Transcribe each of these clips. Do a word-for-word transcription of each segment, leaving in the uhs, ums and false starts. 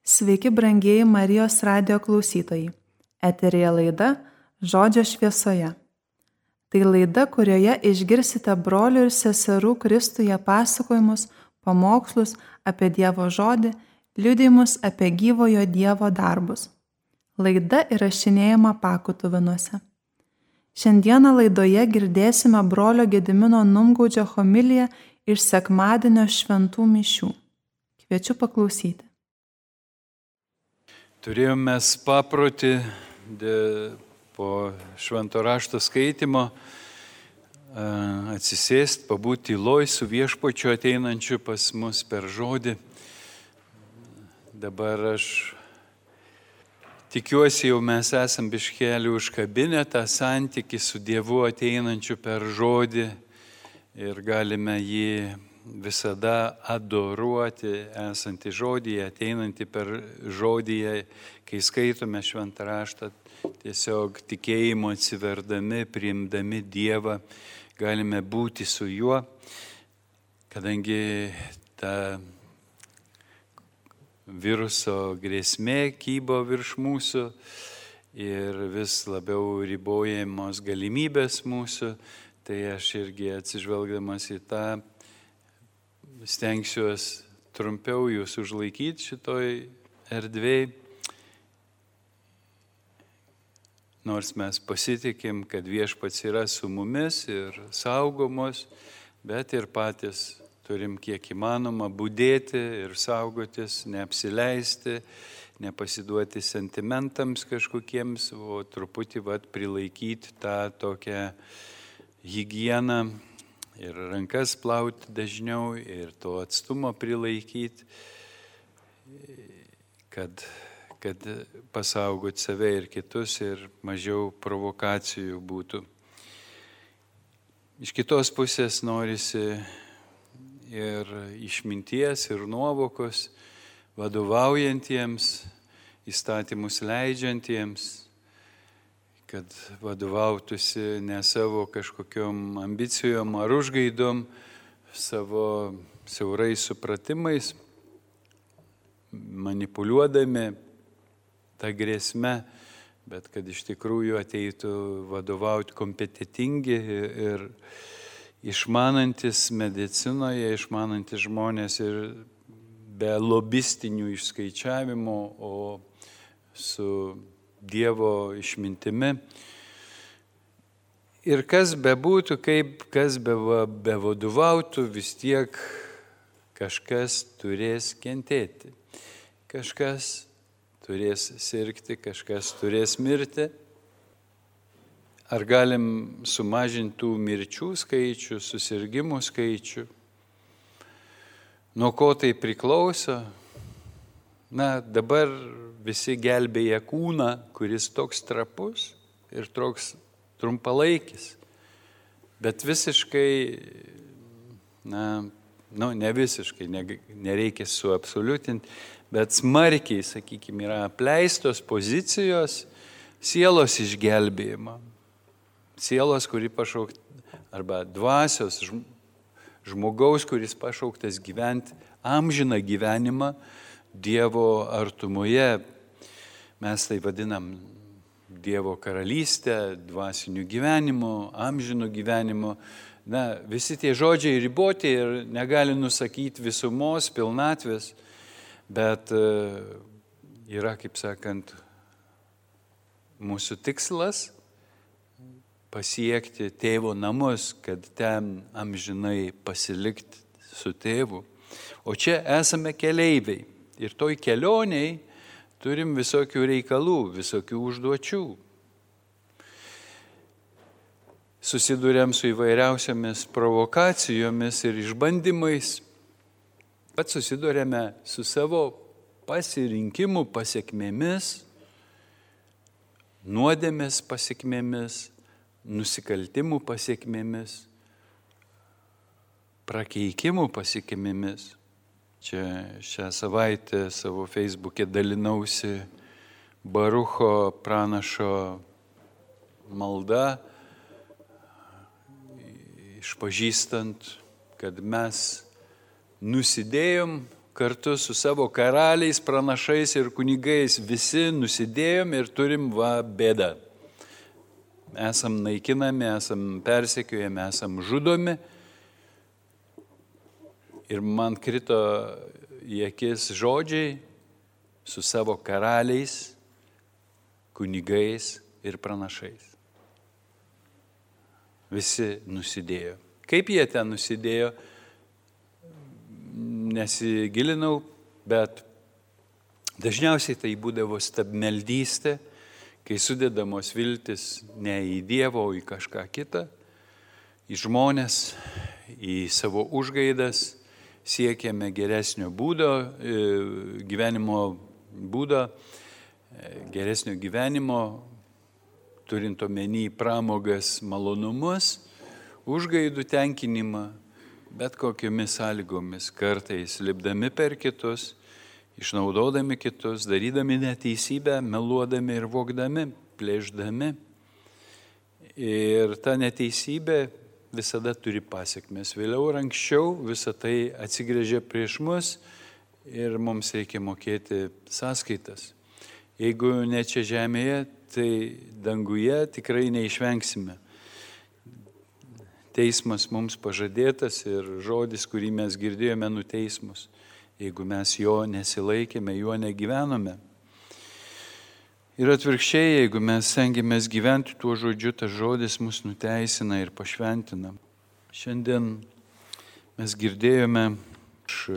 Sveiki, brangieji Marijos radijo klausytojai. Eteryje laida Žodžio šviesoje. Tai laida, kurioje išgirsite brolių ir seserų Kristuje pasakojimus, pamokslus apie Dievo žodį, liudijimus apie gyvojo Dievo darbus. Laida įrašinėjama Pakutuvinuose. Šiandieną laidoje girdėsime brolio Gedimino Numgaudžio homiliją iš sekmadienio šventų mišių. Kviečiu paklausyti. Turėjome paprotį po švento rašto skaitimo atsisėsti, pabūti tyloj su viešpačiu ateinančiu pas mus per žodį. Dabar aš tikiuosi, jau mes esam biškelį užkabinę tą santykį su Dievu ateinančiu per žodį ir galime jį visada adoruoti, esantį žodyje, ateinantį per žodyje, kai skaitome šventą raštą, tiesiog tikėjimo atsiverdami, priimdami Dievą, galime būti su juo, kadangi ta viruso grėsmė kybo virš mūsų ir vis labiau ribojamos galimybės mūsų, tai aš irgi atsižvelgdamas į tą stengsiuos trumpiau jūs užlaikyti šitoj erdvėj, nors mes pasitikim, kad viešpats yra su mumis ir saugomos, bet ir patys turim kiek įmanoma budėti ir saugotis, neapsileisti, nepasiduoti sentimentams kažkokiems, o truputį vat prilaikyti tą tokią higieną, ir rankas plauti dažniau, ir to atstumo prilaikyti, kad, kad pasaugot save ir kitus ir mažiau provokacijų būtų. Iš kitos pusės norisi ir išminties, ir nuovokos, vadovaujantiems, įstatymus leidžiantiems, kad vadovautųsi ne savo kažkokiom ambicijom ar užgaidom, savo siaurais supratimais, manipuliuodami tą grėsmę, bet kad iš tikrųjų ateitų vadovauti kompetitingi ir išmanantis medicinoje, išmanantis žmonės ir be lobistinių išskaičiavimų, o su Dievo išmintimi. Ir kas bebūtų, kaip kas bevadovautų, vis tiek kažkas turės kentėti. Kažkas turės sirgti, kažkas turės mirti. Ar galim sumažinti tų mirčių skaičių, susirgimų skaičių? Nuo ko tai priklauso? Na, dabar visi gelbėja kūną, kuris toks trapus ir toks trumpalaikis. Bet visiškai, na, nu, ne visiškai, ne, nereikia suabsoliutinti, bet smarkiai, sakykime, yra apleistos pozicijos sielos išgelbėjimo. Sielos, kuri pašaukta, arba dvasios žmogaus, kuris pašauktas gyventi amžiną gyvenimą Dievo artumoje. Mes tai vadinam Dievo karalystę, dvasiniu gyvenimu, amžinu gyvenimu. Na, visi tie žodžiai riboti ir negali nusakyti visumos, pilnatvės, bet yra, kaip sakant, mūsų tikslas pasiekti tėvo namus, kad ten amžinai pasilikti su tėvu. O čia esame keleiviai. Ir toj kelioniai turim visokių reikalų, visokių užduočių. Susiduriam su įvairiausiamis provokacijomis ir išbandymais. Pat susiduriame su savo pasirinkimų pasiekmėmis, nuodėmės pasiekmėmis, nusikaltimų pasiekmėmis, prakeikimų pasiekmėmis. Čia šią savaitę savo Facebook'e dalinausi Barucho pranašo malda, išpažįstant, kad mes nusidėjom kartu su savo karaliais, pranašais ir kunigais visi nusidėjom ir turim va bėdą. Esam naikinami, esam persekiojami, esam žudomi. Ir man krito į akis žodžiai su savo karaliais, kunigais ir pranašais. Visi nusidėjo. Kaip jie ten nusidėjo, nesigilinau, bet dažniausiai tai būdavo stabmeldystė, kai sudedamos viltis ne į Dievą, o į kažką kitą, į žmonės, į savo užgaidas, siekėme geresnio būdo, gyvenimo būdo, geresnio gyvenimo, turint omeny pramogas, malonumus, užgaidų tenkinimą, bet kokiomis sąlygomis, kartais lipdami per kitus, išnaudodami kitus, darydami neteisybę, meluodami ir vogdami, plėšdami. Ir ta neteisybė visada turi pasiekmes. Vėliau ir anksčiau visa tai atsigręžia prieš mus ir mums reikia mokėti sąskaitas. Jeigu ne čia žemėje, tai danguje tikrai neišvengsime. Teismas mums pažadėtas ir žodis, kurį mes girdėjome, nuteis mus. Jeigu mes jo nesilaikėme, juo negyvenome. Ir atvirkščiai, jeigu mes stengiamės gyventi tuo žodžiu, tas žodis mus nuteisina ir pašventina. Šiandien mes girdėjome iš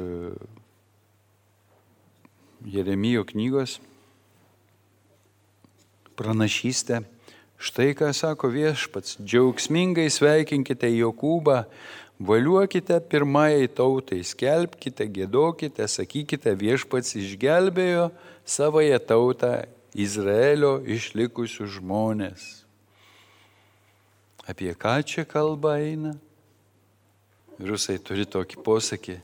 Jeremijo knygos pranašystę. Štai ką sako Viešpats, džiaugsmingai sveikinkite Jokūbą, valiuokite pirmajai tautai, skelbkite, giedokite, sakykite, Viešpats išgelbėjo savąją tautą, Izraelio išlikusių žmonės. Apie ką čia kalba eina? Rusai turi tokį posakį.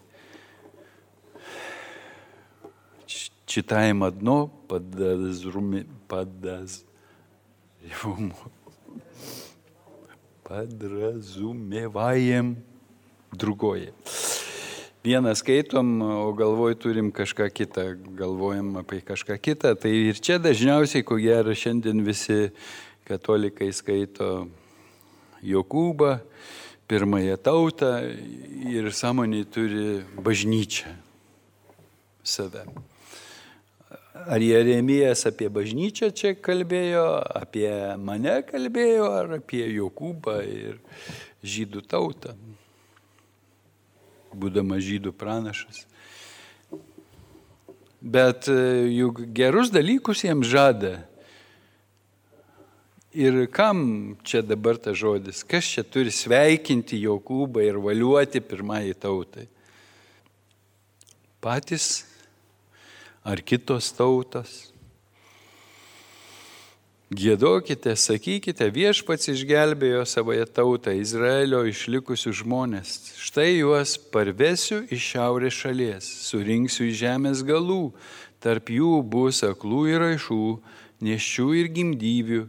Читаем одно, подразуме, подаз, подразумеваем другое. Vieną skaitom, o galvoj turim kažką kitą, galvojam apie kažką kitą. Tai ir čia dažniausiai, ko gero, šiandien visi katalikai skaito Jokūbą, pirmąją tautą ir sąmonėj turi bažnyčią save. Ar Jeremijas apie bažnyčią čia kalbėjo, apie mane kalbėjo, ar apie Jokūbą ir žydų tautą, būdama žydų pranašas. Bet juk gerus dalykus jiems žada. Ir kam čia dabar tas žodis? Kas čia turi sveikinti Jokūbą ir valiuoti pirmąjį tautai? Patys ar kitos tautos? Giedokite, sakykite, Viešpats išgelbėjo savąją tautą, Izraelio išlikusių žmonės. Štai juos parvesiu iš šiaurės šalies, surinksiu iš žemės galų, tarp jų bus aklų ir raišų, nėščių ir gimdyvių.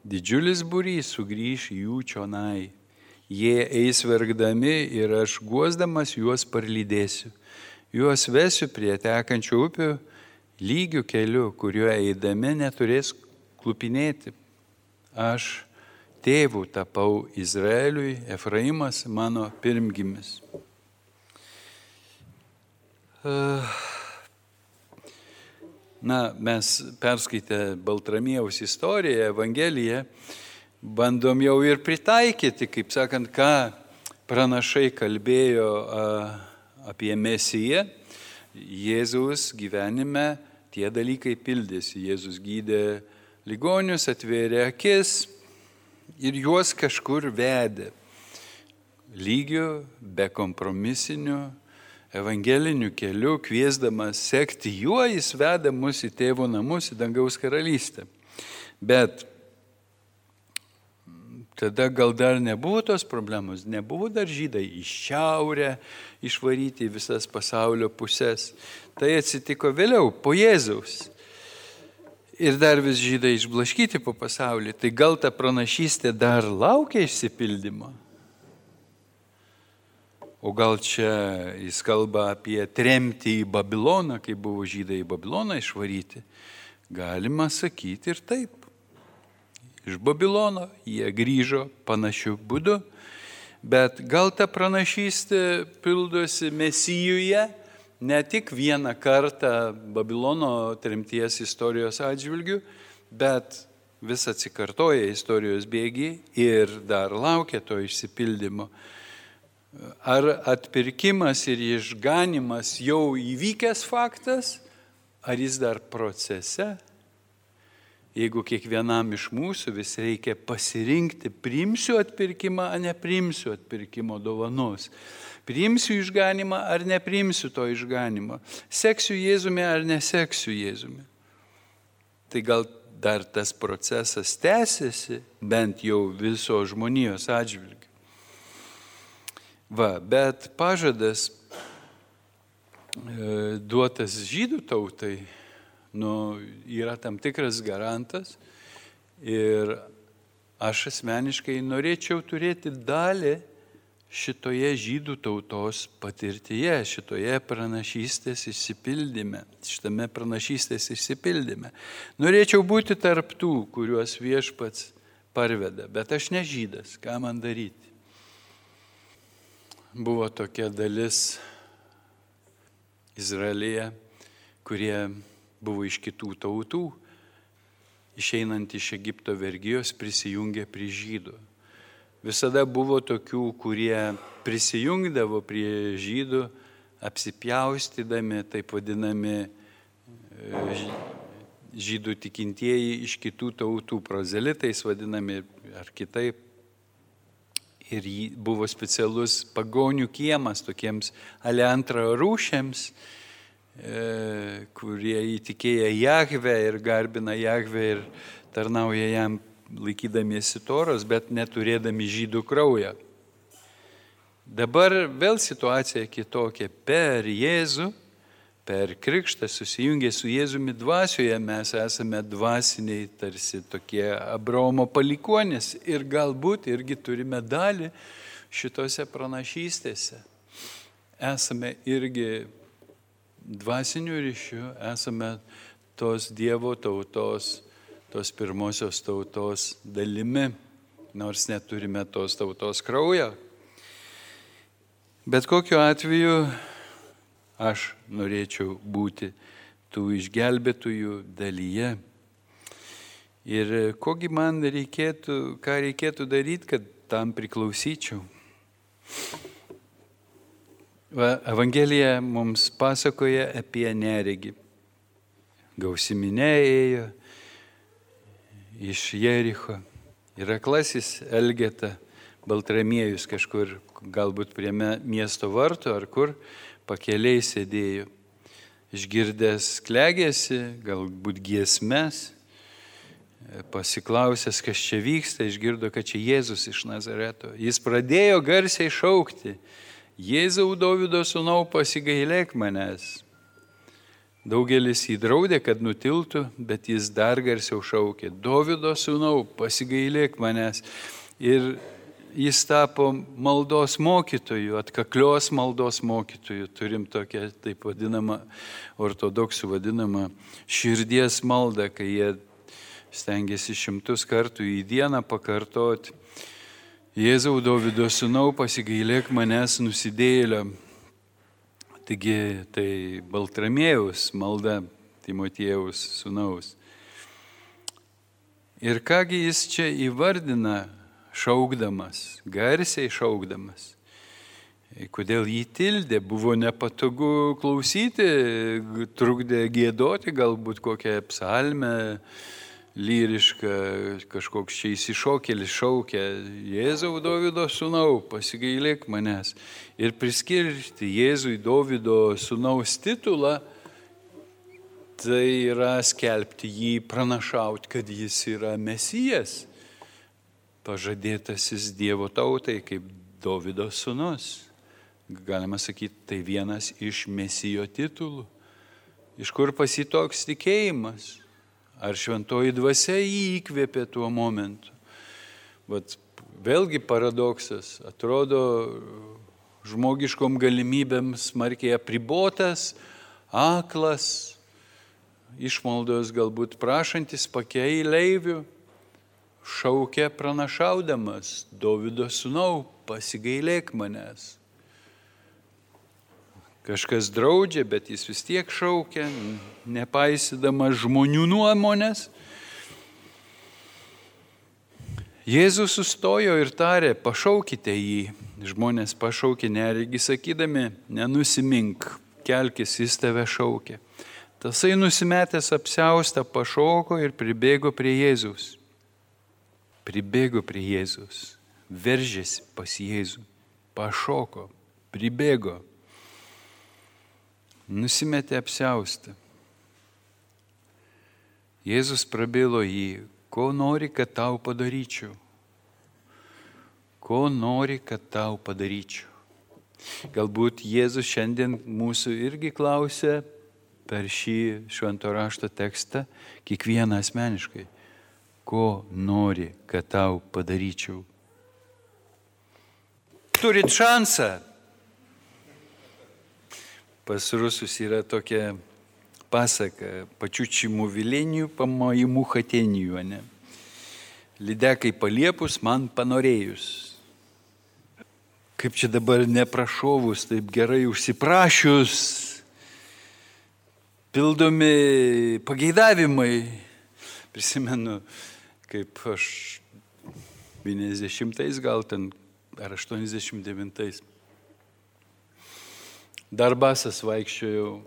Didžiulis būrys sugrįš jų čionai. Jie eis verkdami ir aš guosdamas juos parlydėsiu. Juos vesiu prie tekančių upių, lygių kelių, kuriuo eidami neturės klupinėti. Aš tėvų tapau Izraeliui, Efraimas mano pirmgimis. Na, mes perskaitę Baltramiejaus istoriją, Evangeliją, bandom jau ir pritaikyti, kaip sakant, ką pranašai kalbėjo apie Mesiją. Jėzaus gyvenime tie dalykai pildėsi. Jėzus gydė ligonius, atvėrė akis ir juos kažkur vedė. Lygių, be kompromisinių, evangelinių kelių, kviesdamas sekti juo, jis veda mus į tėvo namus, į dangaus karalystę. Bet tada gal dar nebuvo tos problemos, nebuvo dar žydai į šiaurę išvaryti į visas pasaulio pusės. Tai atsitiko vėliau, po Jėzaus. Ir dar vis žydai išblaškyti po pasaulį. Tai gal ta pranašystė dar laukia išsipildymo? o gal čia jis kalba apie tremtį į Babiloną, kai buvo žydai į Babiloną išvaryti. Galima sakyti ir taip. Iš Babilono jie grįžo panašiu būdu, bet gal ta pranašystė pildosi Mesijuje ne tik vieną kartą Babilono tremties istorijos atžvilgių, bet vis atsikartoja istorijos bėgiai ir dar laukia to išsipildymo. Ar atpirkimas ir išganimas jau įvykęs faktas, ar jis dar procese? Jeigu kiekvienam iš mūsų vis reikia pasirinkti, priimsiu atpirkimą, ar nepriimsiu atpirkimo dovanos. Priimsiu išganimą, ar nepriimsiu to išganimo. Seksiu Jėzumi, ar neseksiu Jėzumi. Tai gal dar tas procesas tęsiasi, bent jau viso žmonijos atžvilgiu. Va, bet pažadas e, duotas žydų tautai, nu, yra tam tikras garantas ir aš asmeniškai norėčiau turėti dalį šitoje žydų tautos patirtyje, šitoje pranašystės išsipildyme, šitame pranašystės išsipildyme. Norėčiau būti tarp tų, kuriuos viešpats parveda, bet aš ne žydas, ką man daryti? Buvo tokia dalis Izraelyje, kurie buvo iš kitų tautų, išeinant iš Egipto vergijos, prisijungė prie žydų. Visada buvo tokių, kurie prisijungdavo prie žydų, apsipjaustydami, taip vadinami žydų tikintieji iš kitų tautų, prozelitais vadinami ar kitaip. Ir buvo specialus pagonių kiemas tokiems ale antrą rūšiams, kurie įtikėję Jahvę ir garbina Jahvę ir tarnauja jam laikydamiesi Toros, bet neturėdami žydų kraują. Dabar vėl situacija kitokia. Per Jėzų, per krikštą susijungę su Jėzumi dvasioje mes esame dvasiniai tarsi tokie Abraomo palikuonys ir galbūt irgi turime dalį šitose pranašystėse. Esame irgi dvasinių ryšių, esame tos Dievo tautos, tos pirmosios tautos dalimi, nors neturime tos tautos kraujo. Bet kokiu atveju aš norėčiau būti tų išgelbėtųjų dalyje. Ir kogi man reikėtų, ką reikėtų daryti, kad tam priklausyčiau? Evangelija mums pasakoja apie neregį. Gausi minia ėjo iš Jericho ir aklasis Elgeta, Baltramiejus kažkur, galbūt prie miesto vartų ar kur, pakeliai sėdėjo. Išgirdęs klegėsi, galbūt giesmes, pasiklausęs, kas čia vyksta, išgirdo, kad čia Jėzus iš Nazareto. Jis pradėjo garsiai šaukti: Jėzau, Dovydo sūnau, pasigailėk manęs. Daugelis jį draudė, kad nutiltų, bet jis dar garsiau šaukė: Dovydo sūnau, pasigailėk manęs. Ir jis tapo maldos mokytoju, atkaklios maldos mokytoju. Turim tokią, taip vadinamą, ortodoksų vadinamą širdies maldą, kai jie stengiasi šimtus kartų į dieną pakartoti: Jėzau, Dovydo sūnau, pasigailėk manęs nusidėjėlio. Taigi tai Baltramiejaus malda, Timotiejaus sūnaus. Ir kągi jis čia įvardina šaukdamas, garsiai šaukdamas. Kodėl jį tildė, buvo nepatogu klausyti, trukdė giedoti galbūt kokią psalmę, lyriška, kažkoks čia įsišokėlis šaukia: Jėzau, Dovydo sūnau, pasigailėk manęs. Ir priskirti Jėzui Dovydo sūnaus titulą, tai yra skelbti jį, pranašauti, kad jis yra Mesijas, pažadėtasis Dievo tautai kaip Dovydo sūnus. Galima sakyti, tai vienas iš Mesijo titulų. Iš kur pas jį toks tikėjimas? Ar šventoji dvasia jį įkvėpė tuo momentu? Vat vėlgi paradoksas. Atrodo, žmogiškom galimybėm smarkiai apribotas, aklas, išmaldos galbūt prašantis pakeileivių, šaukė pranašaudamas: Dovydo sūnau, pasigailėk manęs. Kažkas draudžia, bet jis vis tiek šaukia, nepaisydamas žmonių nuomonės. Jėzus sustojo ir tarė: pašaukite jį. Žmonės pašaukė neregį, sakydami: nenusimink, kelkis, jis tave šaukia. Tasai nusimetęs apsiaustą pašoko ir pribėgo prie Jėzus. Pribėgo prie Jėzus, veržėsi pas Jėzų, pašoko, pribėgo, nusimetė apsiaustą. Jėzus prabilo jį: ko nori, kad tau padaryčiau? Ko nori, kad tau padaryčiau? Galbūt Jėzus šiandien mūsų irgi klausia per šį švento rašto tekstą kiekvieną asmeniškai: ko nori, kad tau padaryčiau? Turit šansą. Pas rusus yra tokia pasaka: pačiučimų vilenijų, pamojimų hatenijų, ne? Lydekai paliepus, man panorėjus. Kaip čia dabar neprašovus, taip gerai užsiprašius, pildomi pageidavimai. Prisimenu, kaip aš devyniasdešimtais gal ten, ar aštuoniasdešimt devintais, dar basas vaikščiojau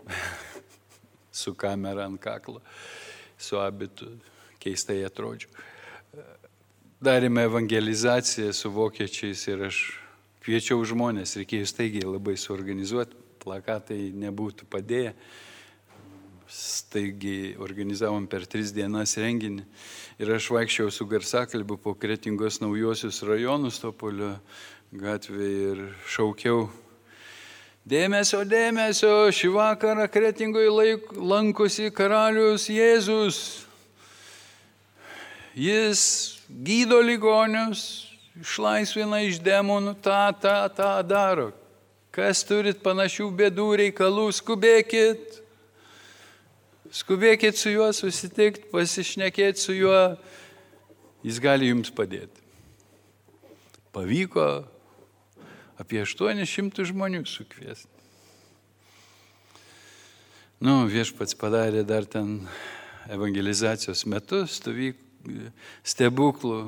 su kamera ant kaklo, su abitu, keistai atrodžiau. Darėme evangelizaciją su vokiečiais ir aš kviečiau žmonės, reikėjo staigiai labai suorganizuoti, plakatai nebūtų padėję. Staigiai organizavom per tris dienas renginį ir aš vaikščiau su garsakalbiu po Kretingos naujosius rajonus Topolio gatvėje ir šaukiau: dėmesio, dėmesio, šį vakarą Kretingoje lankosi karalius Jėzus. Jis gydo ligonius, išlaisvina iš demonų, tą, tą, tą daro. Kas turit panašių bėdų reikalų, skubėkit. Skubėkit su juo susitikti, pasišnekėti su juo, jis gali jums padėti. Pavyko apie aštuonis šimtus žmonių sukviesti. Nu, viešpats padarė dar ten evangelizacijos metu stebuklų.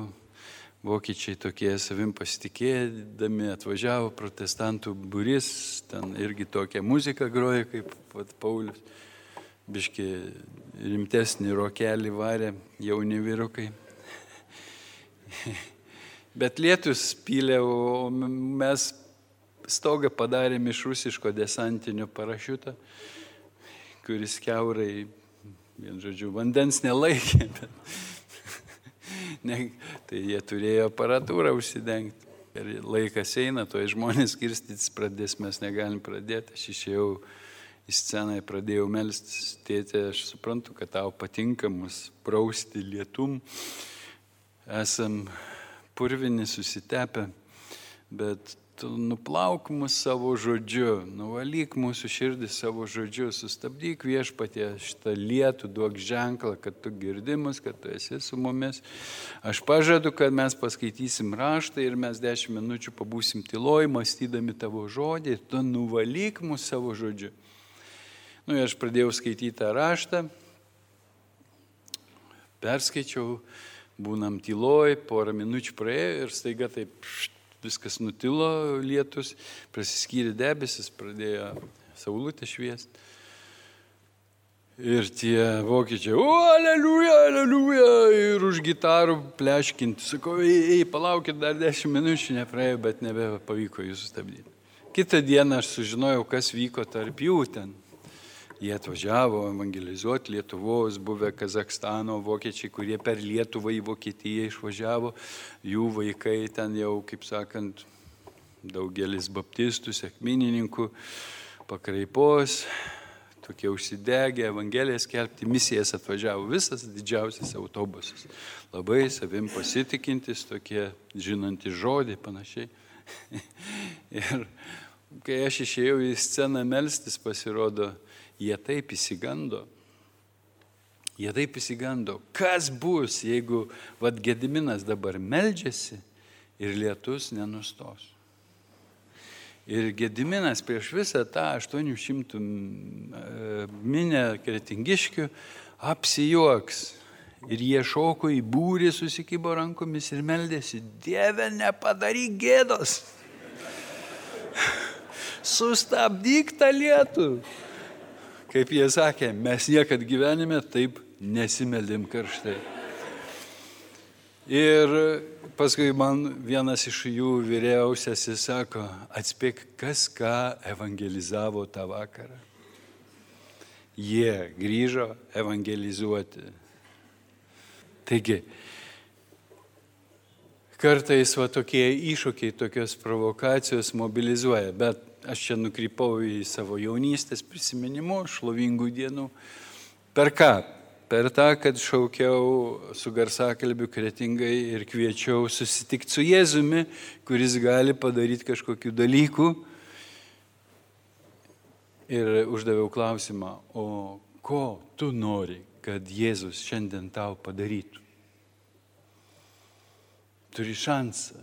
Vokiečiai tokie savim pasitikėdami atvažiavo, protestantų būrys, ten irgi tokia muzika groja kaip pat Paulius. Biški rimtesnį rokelį varė jauni vyrukai. Bet lietus pylė, o mes stogą padarėm iš rusiško desantinio parašiuto, kuris kiaurai, vien žodžiu, vandens nelaikė. Ne, tai jie turėjo aparatūrą užsidengti. Ir laikas eina, to žmonės skirstytis pradės, mes negalim pradėti. Aš išėjau į sceną, pradėjau melstis: tėte, aš suprantu, kad tau patinka mus prausti lietum. Esam purvini, susitepę, bet tu nuplauk mus savo žodžiu, nuvalyk mūsų širdį savo žodžiu, sustabdyk Viešpatie šitą lietų, duok ženklą, kad tu girdi mus, kad tu esi su mumis. Aš pažadu, kad mes paskaitysim raštą ir mes dešimt minučių pabūsim tyloj, mąstydami tavo žodį, tu nuvalyk mus savo žodžiu. Nu, aš pradėjau skaityti tą raštą, perskaičiau, būnam tyloj, porą minučių praėjo ir staiga taip št, viskas nutilo, lietus, prasiskyrė debesis, pradėjo saulutė šviesti. Ir tie vokiečiai: o, aleliuja, aleliuja, ir už gitarų pleškinti. Sakau: ei, ei, palaukit, dar dešimt minučių nepraėjo, bet nebepavyko jų sustabdyti. Kitą dieną aš sužinojau, kas vyko tarp jų ten. Jie atvažiavo evangelizuoti Lietuvos, buvę Kazakstano vokiečiai, kurie per Lietuvą į Vokietiją išvažiavo. Jų vaikai ten jau, kaip sakant, daugelis baptistų, sekminininkų, pakraipos, tokie užsidegę, evangeliją skelbti, misijas atvažiavo visas didžiausias autobusas. Labai savim pasitikintis, tokie žinantys žodį, panašiai. Ir kai aš išėjau į sceną melstis, pasirodo, jie taip įsigando. Jie taip įsigando. Kas bus, jeigu vat Gediminas dabar meldžiasi ir lietus nenustos? Ir Gediminas prieš visą tą aštuonių šimtų minę kretingiškių apsijuoks. Ir jie šoko į būrį, susikibo rankomis ir meldėsi, Dieve, nepadaryk gėdos. Sustabdyk tą lietų. Kaip jie sakė, mes niekad gyvenime taip nesimeldėm karštai. Ir paskui man vienas iš jų vyriausiasis sako, atspėk, kas ką evangelizavo tą vakarą. Jie grįžo evangelizuoti. Taigi, kartais va tokie iššūkiai, tokios provokacijos mobilizuoja, bet aš čia nukrypau į savo jaunystės prisiminimus, šlovingų dienų. Per ką? Per tą, kad šaukiau su garsakalbiu Kretingai ir kviečiau susitikti su Jėzumi, kuris gali padaryti kažkokių dalykų. Ir uždaviau klausimą, o ko tu nori, kad Jėzus šiandien tau padarytų? Turi šansą.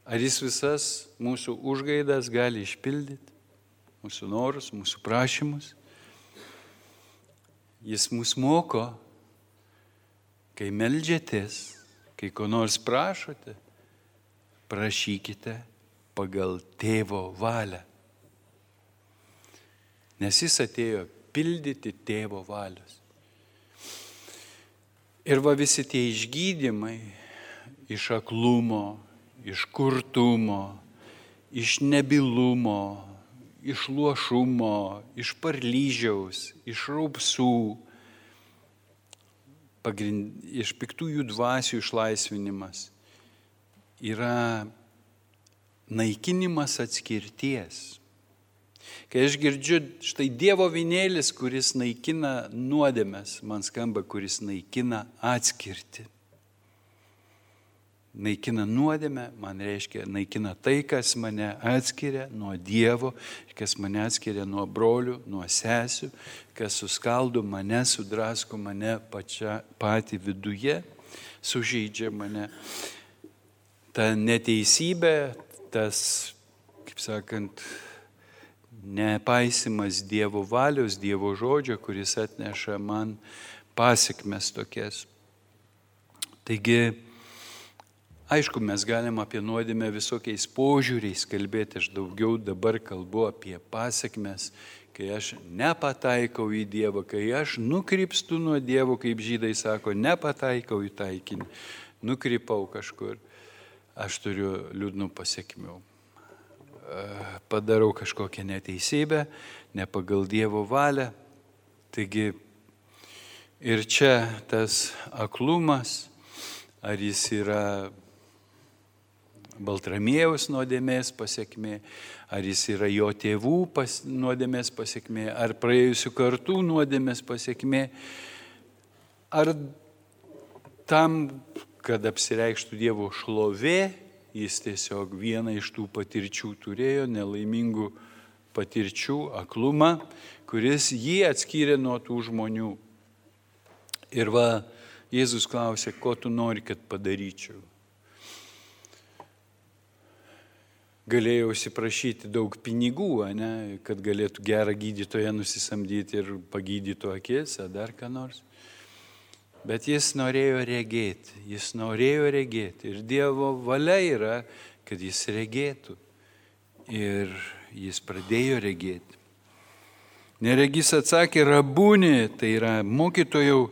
Ar jis visas mūsų užgaidas gali išpildyti, mūsų norus, mūsų prašymus? Jis mus moko, kai meldžiatės, kai ko nors prašote, prašykite pagal tėvo valią. Nes jis atėjo pildyti tėvo valios. Ir va visi tie išgydymai iš aklumo, iš kurtumo, iš nebylumo, iš luošumo, iš parlyžiaus, iš raupsų, pagrind, iš piktųjų dvasių išlaisvinimas yra naikinimas atskirties. Kai aš girdžiu, štai Dievo vynėlis, kuris naikina nuodėmes, man skamba, kuris naikina atskirtį. Naikina nuodėmę, man reiškia, naikina tai, kas mane atskiria nuo Dievo, kas mane atskiria nuo brolių, nuo sesių, kas suskaldo mane, sudrasko mane pačia, patį viduje, sužeidžia mane. Ta neteisybė, tas, kaip sakant, nepaisimas Dievo valios, Dievo žodžio, kuris atneša man pasekmes tokias. Taigi, aišku, mes galim apie nuodėmę visokiais požiūriais kalbėti, aš daugiau dabar kalbu apie pasekmes, kai aš nepataikau į Dievą, kai aš nukrypstu nuo Dievo, kaip žydai sako, nepataikau į taikinį, nukrypau kažkur, aš turiu liūdnų pasekmių. Padarau kažkokią neteisybę, ne pagal Dievo valią. Taigi ir čia tas aklumas, ar jis yra Baltramiejaus nuodėmės pasekmė, ar jis yra jo tėvų pas, nuodėmės pasekmė, ar praėjusių kartų nuodėmės pasekmė, ar tam, kad apsireikštų Dievo šlovė, jis tiesiog vieną iš tų patirčių turėjo, nelaimingų patirčių, aklumą, kuris jį atskyrė nuo tų žmonių. Ir va, Jėzus klausė, ko tu nori, kad padaryčiau. Galėjau įsiprašyti daug pinigų, ne, kad galėtų gerą gydytoją nusisamdyti ir pagydytų akis, ar dar ką nors. Bet jis norėjo regėti, jis norėjo regėti. Ir Dievo valia yra, kad jis regėtų. Ir jis pradėjo regėti. Neregys atsakė, rabūni, tai yra mokytojau,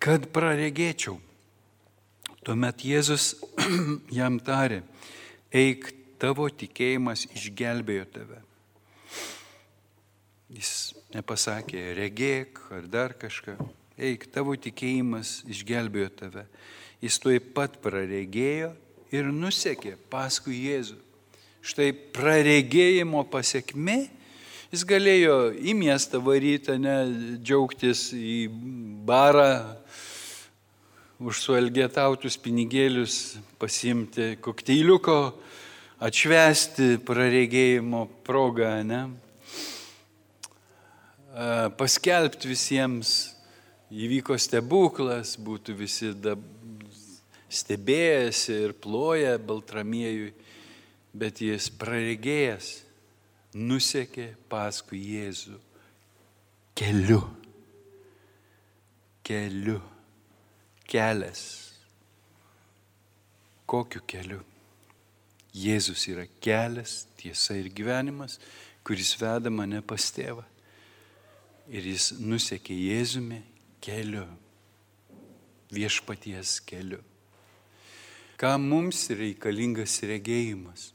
kad praregėčiau. Tuomet Jėzus jam tarė, eik, tavo tikėjimas išgelbėjo tave. Jis nepasakė, regėk ar dar kažką. Eik, tavo tikėjimas išgelbėjo tave. Jis tuoj pat praregėjo ir nusekė paskui Jėzų. Štai praregėjimo pasiekmė, jis galėjo į miestą varyti, ne, džiaugtis į barą, už suelgetautus pinigėlius pasiimti kokteiliuko atšvęsti praregėjimo progą, ne? Paskelbti visiems, įvyko stebuklas, būtų visi stebėjęsi ir ploję Baltramiejui, bet jis praregėjęs nusekė paskui Jėzų keliu. Keliu. Kelias. Kokiu keliu? Jėzus yra kelias, tiesa ir gyvenimas, kuris veda mane pas tėvą. Ir jis nusekė Jėzumi keliu, viešpaties keliu. Ką mums reikalingas regėjimas?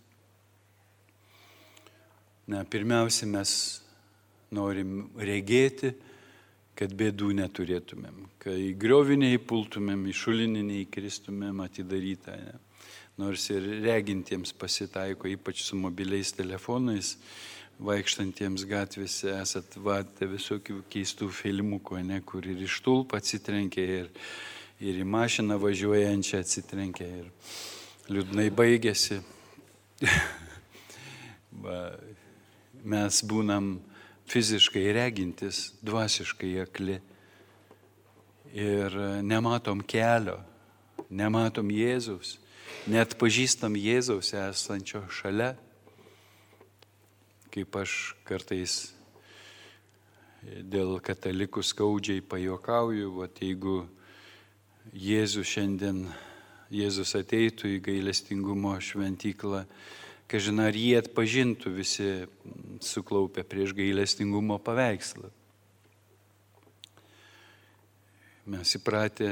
Na, pirmiausia, mes norim regėti, kad bėdų neturėtumėm, kad į griovinį neįpultumėm, į šulinį neįkristumėm atidarytą. Ne? Nors ir regintiems pasitaiko, ypač su mobiliais telefonais, vaikštantiems gatvėse esat matę visokių keistų filmukų, ne, kur ir iš tulpą atsitrenkia, ir, ir į mašiną važiuojančią atsitrenkia, ir liūdnai baigėsi. Mes būnam fiziškai regintis, dvasiškai akli ir nematom kelio, nematom Jėzaus, net pažįstam Jėzaus esančio šalia. Kaip aš kartais dėl katalikų skaudžiai pajuokauju, vat jeigu Jėzus šiandien, Jėzus ateitų į gailestingumo šventyklą, kažin ar jie atpažintų visi suklaupę prieš gailestingumo paveikslą. Mes įpratę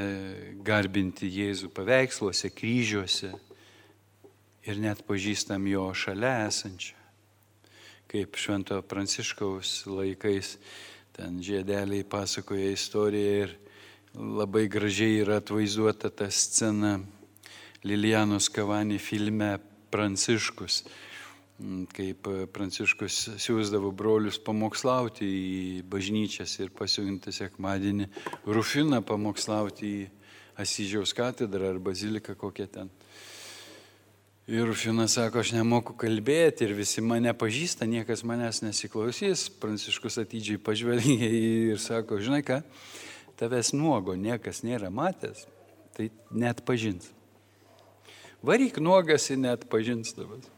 garbinti Jėzų paveiksluose, kryžiuose ir net pažįstam jo šalia esančią. Kaip Švento Pranciškaus laikais, ten žiedeliai pasakoja istoriją ir labai gražiai yra atvaizduota ta scena Lilianos Kavani filme Pranciškus, kaip Pranciškus siūsdavo brolius pamokslauti į bažnyčias ir pasiuntė sekmadienį Rufiną pamokslauti į Asyžiaus katedrą ar baziliką kokią ten. Ir Rufinas sako, aš nemoku kalbėti ir visi mane pažįsta, niekas manęs nesiklausys. Pranciškus atidžiai pažvelgė ir sako, žinai ką, tavęs nuogo niekas nėra matęs, tai net pažins. Varyk nuogas ir net pažins tavęs.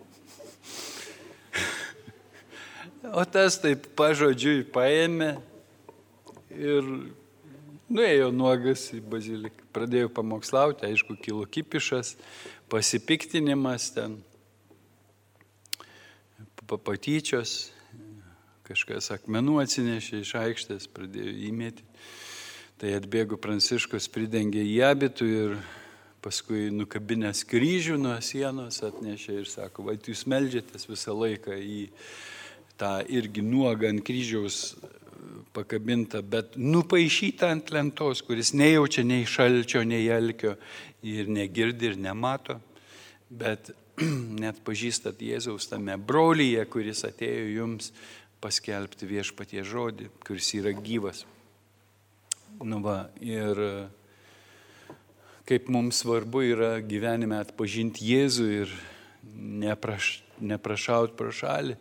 O tas taip pažodžiui paėmė ir nuėjo nuogas į baziliką. Pradėjo pamokslauti, aišku, kilo kipišas, pasipiktinimas ten, patyčios, kažkas akmenų atsinešė iš aikštės, pradėjo įmėti. Tai atbėgo Pranciškus, pridengė į abitų ir paskui nukabinęs kryžių nuo sienos atnešė ir sako, va, jūs meldžiatės visą laiką į tą irgi nuogą ant kryžiaus pakabintą, bet nupaišytą ant lentos, kuris nejaučia nei šalčio, nei alkio ir negirdi ir nemato, bet net pažįstat Jėzaus tame brolyje, kuris atėjo jums paskelbti viešpaties žodį, kuris yra gyvas. Nu va, ir kaip mums svarbu yra gyvenime atpažinti Jėzų ir nepraš, neprašaut pro šalį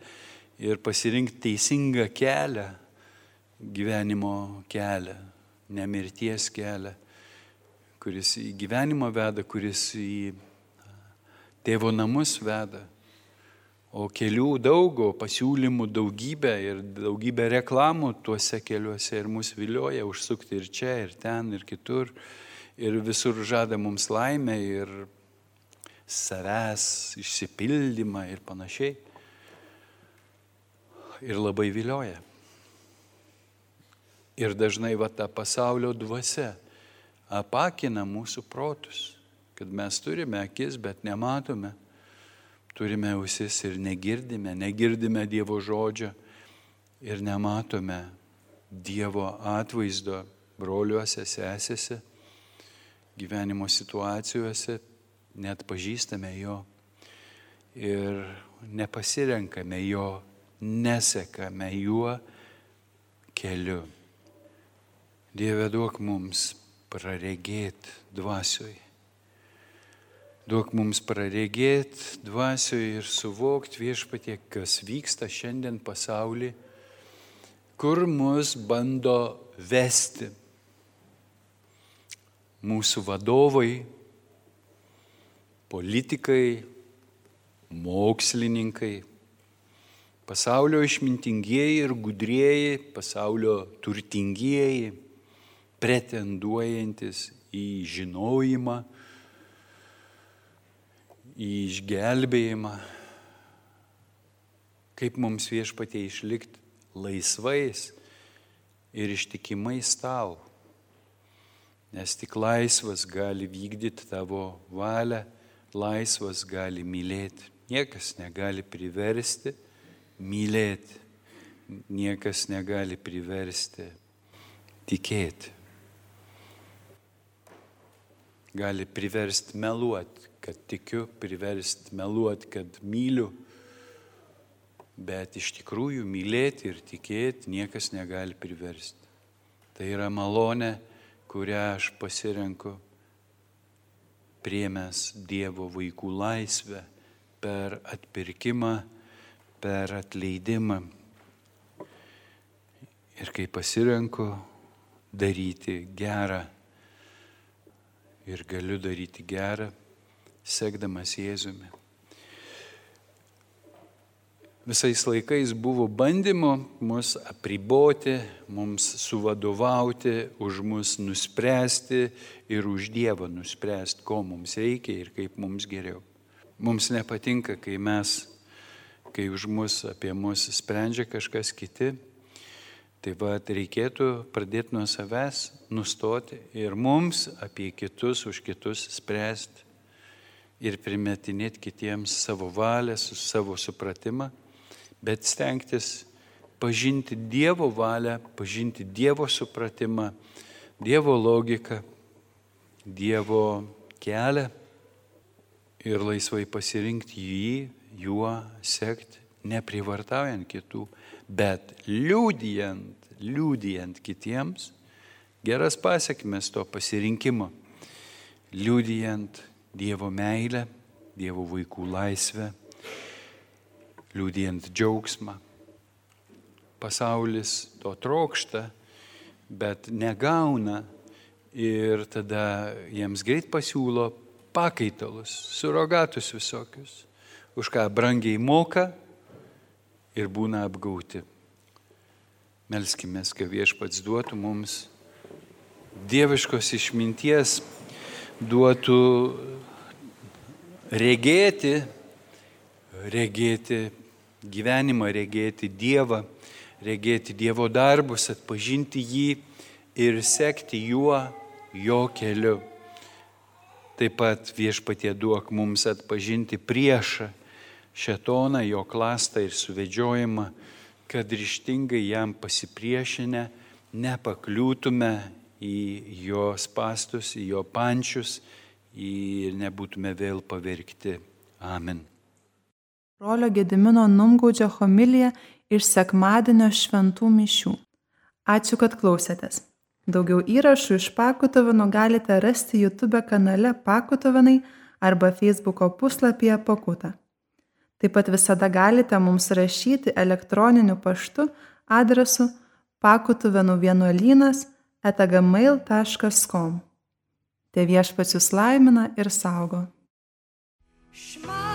ir pasirinkti teisingą kelią, gyvenimo kelią, nemirties kelią, kuris į gyvenimą veda, kuris į tėvo namus veda. O kelių daug, o pasiūlymų daugybė ir daugybė reklamų tuose keliuose ir mus vilioja užsukti ir čia, ir ten, ir kitur. Ir visur žada mums laimę ir savęs išsipildymą ir panašiai. Ir labai vilioja. Ir dažnai va ta pasaulio dvasia apakina mūsų protus, kad mes turime akis, bet nematome. Turime ausis ir negirdime, negirdime Dievo žodžio ir nematome Dievo atvaizdo broliuose, sesėse, gyvenimo situacijose, net pažįstame jo ir nepasirenkame jo, nesekame juo keliu. Dieve, duok mums praregėti dvasioj. Duok mums praregėti dvasioje ir suvokti Viešpatie, kas vyksta šiandien pasaulyje, kur mus bando vesti mūsų vadovai, politikai, mokslininkai, pasaulio išmintingieji ir gudrieji, pasaulio turtingieji, pretenduojantis į žinojimą, į išgelbėjimą. Kaip mums Viešpatie išlikti laisvais ir ištikimais tau, nes tik laisvas gali vykdyti tavo valią, laisvas gali mylėti. Niekas negali priversti mylėti, niekas negali priversti tikėti. Gali priversti meluoti, kad tikiu, priversti meluoti, kad myliu, bet iš tikrųjų mylėti ir tikėti niekas negali priversti. Tai yra malonė, kurią aš pasirenku priėmęs Dievo vaikų laisvę per atpirkimą, per atleidimą. Ir kai pasirenku daryti gerą ir galiu daryti gerą, sekdamas Jėzumi. Visais laikais buvo bandymų mus apriboti, mums suvadovauti, už mus nuspręsti ir už Dievą nuspręsti, ko mums reikia ir kaip mums geriau. Mums nepatinka, kai mes, kai už mus, apie mus sprendžia kažkas kiti. Tai va, reikėtų pradėti nuo savęs, nustoti ir mums apie kitus, už kitus spręsti ir primetinėti kitiems savo valią, savo supratimą. Bet stengtis pažinti Dievo valią, pažinti Dievo supratimą, Dievo logiką, Dievo kelią ir laisvai pasirinkti jį, juo sekti, neprivartaujant kitų, bet liudijant, liudijant kitiems geras pasiekmes to pasirinkimo, liudijant Dievo meilę, Dievo vaikų laisvę, liudijant džiaugsmą. Pasaulis to trokšta, bet negauna ir tada jiems greit pasiūlo pakaitalus, surogatus visokius, už ką brangiai moka ir būna apgauti. Melskimės, kad Viešpats duotų mums dieviškos išminties, duotų regėti, regėti gyvenimą, regėti Dievą, regėti Dievo darbus, atpažinti jį ir sekti juo, jo keliu. Taip pat Viešpatie duok mums atpažinti priešą, šėtoną, jo klastą ir suvedžiojimą, kad ryžtingai jam pasipriešinę nepakliūtume į jo spastus, į jo pančius ir nebūtume vėl pavergti. Amen. Brolio Gedimino Numgaudžio homilija iš sekmadienio šventų mišių. Ačiū, kad klausėtės. Daugiau įrašų iš Pakutuvėnų galite rasti YouTube kanale Pakutuvėnai arba Facebooko puslapyje Pakuta. Taip pat visada galite mums rašyti elektroniniu paštu adresu pakutuvėnų vienuolynas eta gmail taškas com. Te Viešpats jus laimina ir saugo. Šma.